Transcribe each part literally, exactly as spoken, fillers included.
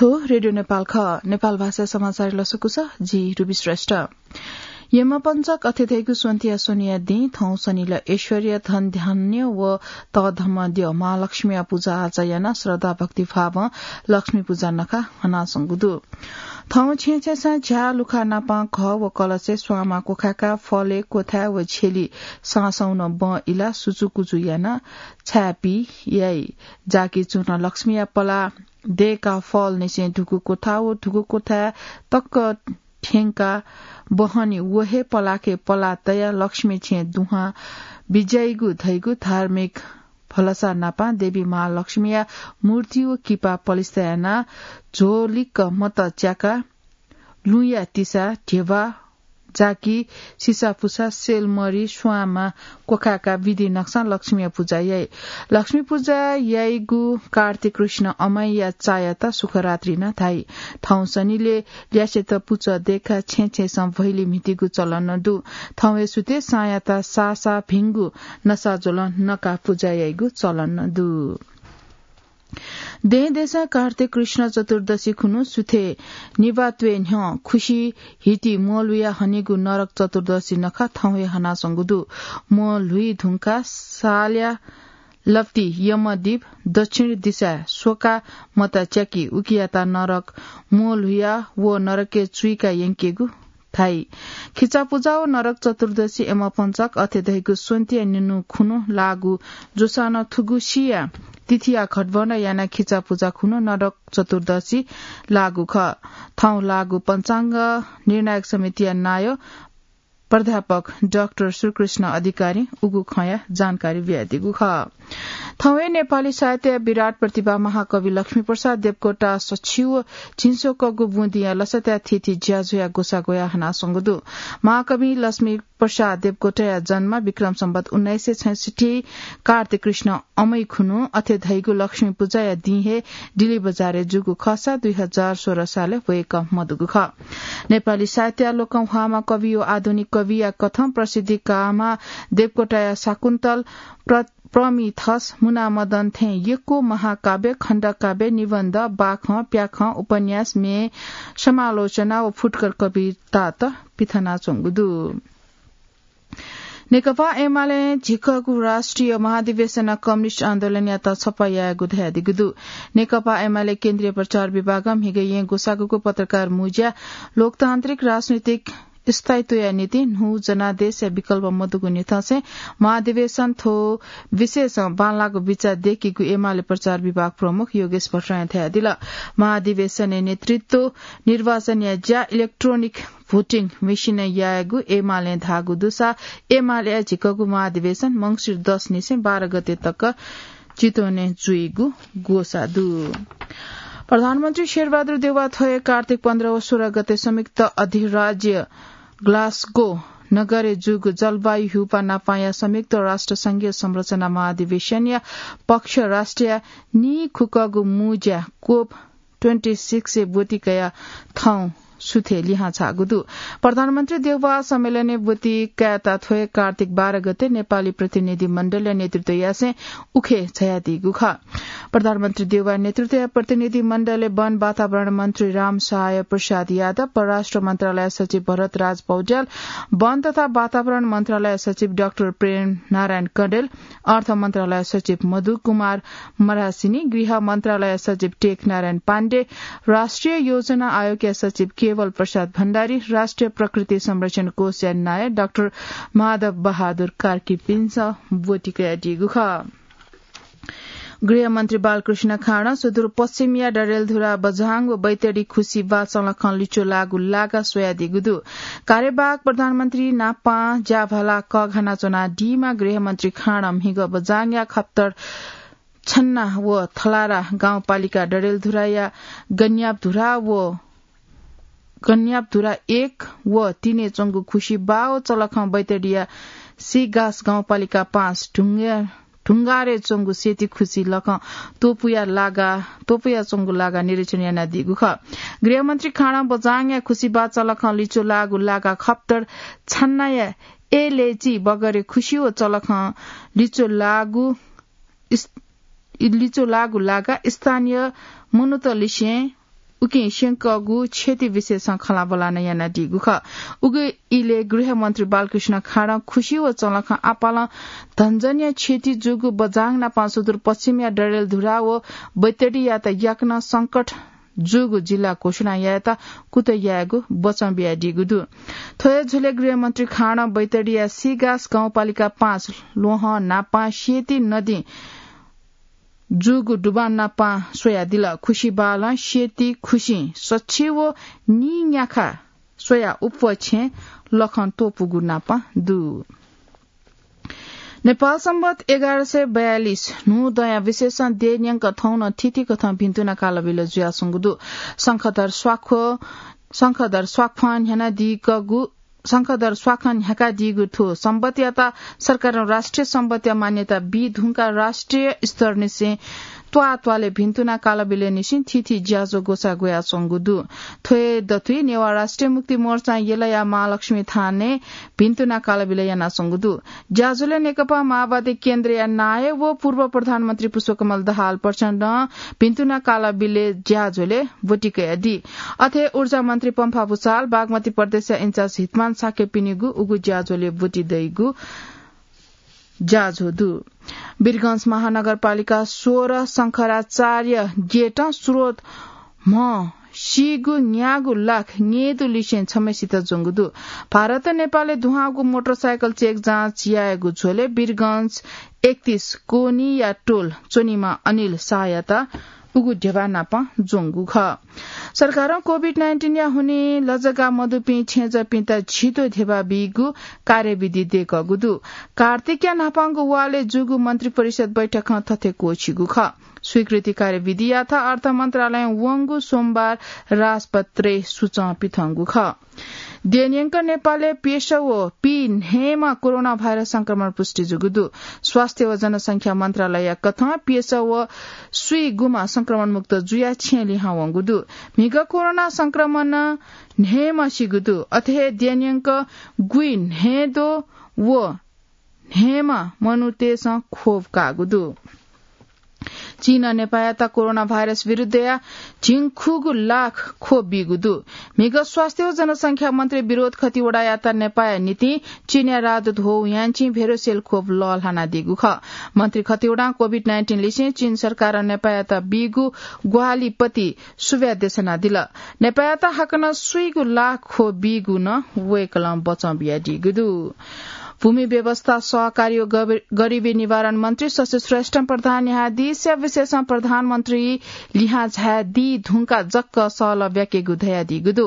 थ्व रेडियो नेपाल खः। नेपाल भाषा समाचार लसकुस, जि रुबी श्रेष्ठ। यमपञ्चक अथे धइगु स्वन्तिया स्वनिया दिं थौं शनिल ऐश्वर्य धन धान्य व तःधंम्ह द्यः महालक्ष्मीया पुजा आचा यानाः श्रद्धा भक्तिभावं लक्ष्मी पुजा नखा हनाच्वंगु दु। थौं छेँछेँसां झ्याः लुखा नापं घः व कलशय् स्वांमा क्वखाय्काः फलय् क्वथाय् व झ्यली साँसौं नं बँ इलाः सुचुकुचु यानाः छाय्पी याइ। जाकि चूनं लक्ष्मीया पलाः दय्काः फलनिसें धुकू क्वथा व धुकू क्वथाय् तक थ्यंकाः बहनी व हे पलाखे पलाः तयाः लक्ष्मी छेँ दुहां बिज्याइगु धइगु धार्मिक भलसा नापं देवी महालक्ष्मीया मूर्ति व किपा पलिस्था यानाः झ्वलिक्क मत च्याकाः लुँया तिसा, ध्यबा, जाकि, सिसापुसा, सेलमरि, स्वांमा क्वखाय्काः विधि नकसां लक्ष्मीया पुजा याइ। लक्ष्मी पुजा याइगु कार्तिक कृष्ण अमाईया चायात सुखरात्रि नं धाइ। थौं शनिलय् ल्यासेत पुचः दय्काः छेँछेँसं भैली म्हितीगु चलन नं दु। थौं हे सुथय् साँयात साःसाः भिंगु नसाज्वलं नकाः पुजा याइगु चलन नं दु। दें देशं कार्तिक कृष्ण चतुर्दशी खुन्हु सुथय् निभाः त्वय् न्ह्यः खुसि हिति म्वःल्हुया हनीगु नरक चतुर्दशी नखः थौं हे हनाच्वंगु दु। म्वःल्हुइ धुंकाः सालया लप्ति यमदीप दक्षिण दिशाय् स्वकाः मत च्याकी उकियात नरक म्वःल्हुया व नरकय् चुइका यंकेगु धाइ। खिचा पुजा व नरक चतुर्दशी यमपञ्चक अथे धइगु स्वन्तिया निन्हु खुन्हु लाःगु जूसां नं थुगु सिया तिथिया घटबन्ध यानाः खिचा पुजा खुन्हु नरक चतुर्दशी लाःगु खः। थौं लाःगु पञ्चाङ्ग निर्णायक समितिया नायः प्राध्यापक डाक्टर श्रीकृष्ण अधिकारीं उगु खँया जानकारी बियादीगु खः। थौं हे नेपाली साहित्यया विराट प्रतिभा महाकवि लक्ष्मीप्रसाद देवकोटा सछि व झिंस्वकःगु बुँदिया लसताया थीथी ज्याझ्वःया ग्वसाः ग्वयाः हनाच्वंगु दु। महाकवि लक्ष्मी प्रसाद देवकोटाया जन्म विक्रम सम्वत उन्नाइस सय छैसठ्ठी कार्तिक कृष्ण अमै खुन्हु अथे धइगु लक्ष्मी पुजाया दिं हे डिल्ली बजारय् जूगु खःसा दुई हजार सोह्र सालय् वय्कः मदुगु खः। नेपाली साहित्यया लोकंह्वाःम्ह कवि व आधुनिक कविया कथं प्रसिद्धि काःम्ह देवकोटाया शाकुन्तल, प्र-, प्रमिथस, मुनामदन थें यक्व महाकाव्य, खण्डकाव्य, निबन्ध, बाखं, प्याखं, उपन्यास, म्ये, समालोचना व फुटकर कवितात पिथनाच्वंगु दु। नेकपा एमालें झिकःगु राष्ट्रिय महाधिवेशनं कम्युनिस्ट आन्दोलनयात छपा यायेगु धयादीगु दु। नेकपा एमाले केन्द्रीय प्रचार विभागं म्हिगः येँ ग्वसाःगुगु पत्रकार मुँज्यां लोकतान्त्रिक राजनीतिक स्थायित्वया निंतिं न्हू जनादेशया विकल्प मदुगु निंतिं महाधिवेशन थ्व विषयसं बांलाःगु बिचाः दय्कीगु एमाले प्रचार विभाग प्रमुख योगेश भट्टराईं धयादिल। महाधिवेशनय् नेतृत्व, निर्वाचनया ज्या, इलेक्ट्रोनिक भोटिङ मेसिनय् यायेगु एमालें धाःगु दुसा एमालेया झिकःगु महाधिवेशन मंसिर दस निसें बाह्र गते तक चितवनय् जुइगु ग्वसाः दु। प्रधानमन्त्री शेरबहादुर देउवा थ्व हे कार्तिक पन्ध्र व सोह्र गते संयुक्त अधिराज्य ग्लासगो नगरय् जूगु जलवायु ह्यूपाः नापांया संयुक्त राष्ट्र संघीय संरचना महाधिवेशनया पक्ष राष्ट्रया नीखुकःगु मुँज्या कोप ट्वेन्टी सिक्सय् ब्वति कयाः थौं सुथय् लिहां झाःगु दु। प्रधानमन्त्री देउवा सम्मेलनय् ब्वति कायेत थ्व हे कार्तिक बाह्र गते नेपाली प्रतिनिधि मण्डलया नेतृत्व यासें उखे झायादीगु खः। प्रधानमन्त्री देउवा नेतृत्वया प्रतिनिधि मण्डलय् वन वातावरण मन्त्री रामसहाय प्रसाद यादव, परराष्ट्र मन्त्रालय सचिव भरतराज पौड्याल, वन तथा वातावरण मन्त्रालय सचिव डाक्टर प्रेम नारायण कँडेल, अर्थ मन्त्रालय सचिव मधु कुमार मरासिनी, गृह मन्त्रालय सचिव टेक नारायण पाण्डे, राष्ट्रिय योजना आयोगया सचिव केवल प्रसाद भण्डारी, राष्ट्रिय प्रकृति संरक्षण कोषया नायः डाक्टर माधव बहादुर कार्कीपिन्सं ब्वति कयादीगु खः। गृहमन्त्री बालकृष्ण खाँडं सुदूरपश्चिमया डडेलधुरा बझाङ व बैतडी खुसी बाचलखं लिच्वः लाःगु लागा स्वयादीगु दु। कार्यवाहक प्रधानमन्त्री नापां ज्याभाला कःघाना च्वनादीम्ह गृहमन्त्री खाँडं म्हिगः बझाङया खप्तर छन्ना व थलारा गाउँपालिका डडेलधुराया गन्यापधुरा व गन्यापधुरा एक व तीनय् च्वंगु खुसी बाः व चलखं बैतडीया सिगास गाउँपालिका पाँच ढुङ्गा-, ढुङ्गारय् च्वंगु सेती खुसी लखं त्वपुया लागा, त्वपुया च्वंगु लागा निरीक्षण यानादीगु खः। गृहमन्त्री खाँडं बझाङया खुसी बाः चलखं लिच्वः लाःगु लागा खप्तर छन्नाया एलएजी बगरे खुसी व चलखं लिच्वः लाःगु इस-, लिच्वः लाःगु लागा स्थानीय मनूतलिसें उकिं स्यंकःगु क्षति विषयसं खँल्हाबल्हा नं यानादीगु खः। उगु इलय् गृहमन्त्री बालकृष्ण खाँडं खुसी व चंलखं आपालं धनजनिया क्षति जूगु बझाङ नापं सुदूरपश्चिमया डडेलधुरा व बैतडीयात याकनं संकट जूगु जिल्ला घोषणा यायेत कुतः यायेगु बचं बियादीगु दु। थ्व हे झ्वलय् गृहमन्त्री खाँडं बैतडीया सिगास गाउँपालिका पाँच ल्वहं नापं सेती नदीं जूगु डुबान नापं स्वयादिल। खुसी बालं सेती खुसिं सछि व नीन्याखा स्वया उप्वः छेँ लखं त्वपुगु नापं दु। नेपाल संवत एघार सय बयालिस न्हू दँया विशेषं देय् न्यंक थौं नं थीथी कथं भिन्तुना कालबिल जुयाच्वंगु दु। शंखधर स्वाख्व, शंखधर स्वाख्वं न्ह्यानादीकगु, शंखधर स्वाखं न्ह्याकादीगु थ्व संवतयात सरकारं राष्ट्रिय संवतया मान्यता बी धुंकाः राष्ट्रिय स्तरनिसें त्वाःत्वालय् भिन्तुना कालबिलय् निसें थीथी ज्याझ्वः ग्वसाः ग्वयाच्वंगु दु। थ्व हे दथुइ नेवाः राष्ट्रिय मुक्ति मोर्चां यलया महालक्ष्मी थानय् भिन्तुना कालबिल यानाच्वंगु दु। ज्याझ्वलय् नेकपा माओवादी केन्द्रया नायः व पूर्व प्रधानमन्त्री पुष्पकमल दाहाल प्रचण्डं भिन्तुना कालबिलय् ज्याझ्वलय् ब्वति कयादी। अथे ऊर्जा मन्त्री पम्फा भूषाल, बागमती प्रदेशया इन्चार्ज हितमान शाक्यपिनिगु उगु ज्याझ्वलय् ब्वति दइगु ज्याझ्वः दु। वीरगंज महानगरपालिका सोह्र शंखराचार्य गेटं स्रोत म्ह सीगु न्यागू लाख न्येदुलिसें छम्हय्सित ज्वंगु दु। भारत नेपालय् दुहांगु मोटरसाइकल चेक जाँच यायेगु झ्वलय् वीरगंज एकतीस कोनीया टोल च्वनीम्ह अनिल शाहयात उगु ध्यबा नापं ज्वंगु खः। सरकारं कोभिड नाइन्टिनया हुनिं लजगाः मदुपिं छेँजःपिन्त झिद्वः ध्यबा बीगु कार्यविधि दय्कःगु दु। कार्तिकया न्हापांगु वालय् जूगु मन्त्री परिषद बैठकं थथे क्वःछिगु खः। स्वीकृति कार्यविधियात अर्थ मन्त्रालयं वंगु सोमबार राजपत्रय् सुचं पिथंगु खः। देय् न्यंक नेपालय् प्यसः व पीन्हय्म्ह कोरोना भाइरस संक्रमण पुष्टि जूगु दु। स्वास्थ्य व जनसंख्या मन्त्रालय कथं प्यसः व स्वीगुम्ह संक्रमण मुक्त जुयाः छेँ लिहां वंगु दु। म्हिगः कोरोना संक्रमणं न्हय्म्ह सीगु दु। अथे हे देय् न्यंक गुइन्हय्द्वः व न्हय्म्ह मनूतय्सं ख्वप काःगु दु। चीनं नेपाःयात कोरोना भाइरस विरुद्धया झिंखुगू लाख ख्वप बीगु दु। म्हिगः स्वास्थ्य व जनसंख्या मन्त्री विनोद खतिवडायात नेपाःया निंतिं चीनया राजदूत हो यान्चिं भेरोसेल ख्वप लःल्हानादीगु खः। मन्त्री खतिवडां कोभिड नाइन्टिन लिसें चीन सरकारं नेपाःयात बीगु ग्वाहालिपति सुभाय् देछानादिल। नेपाःयात हाकनं स्वीगू लाख ख्वप बीगु नं वय्कलं बचं बियादीगु दु। भूमि व्यवस्था, सहकारी व गब-, गरिबी निवारण मन्त्री शशि श्रेष्ठं प्रधान न्यायाधीशया विशेषं प्रधानमन्त्री लिहां झायादी धुंकाः जक्क सहलह ब्याकेगु धयादीगु दु।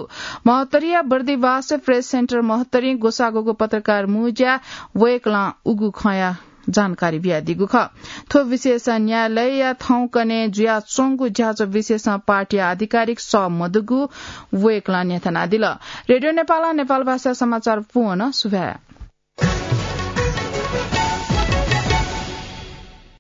महोत्तरीया बर्दिवास प्रेस सेन्टर महोत्तरीं ग्वसाः ग्वःगु पत्रकार मुँज्याय् वय्कलं उगु खँया जानकारी बियादीगु खः। थ्व विशेष न्यायालयया थौंकन्हय् जुयाच्वंगु ज्याझ्वः विशेषं पार्टीया आधिकारिक सः मदुगु वय्कलं न्ह्यथनादिल। रेडियो नेपालं नेपाल भाषा समाचार पूवंक सुभाय्।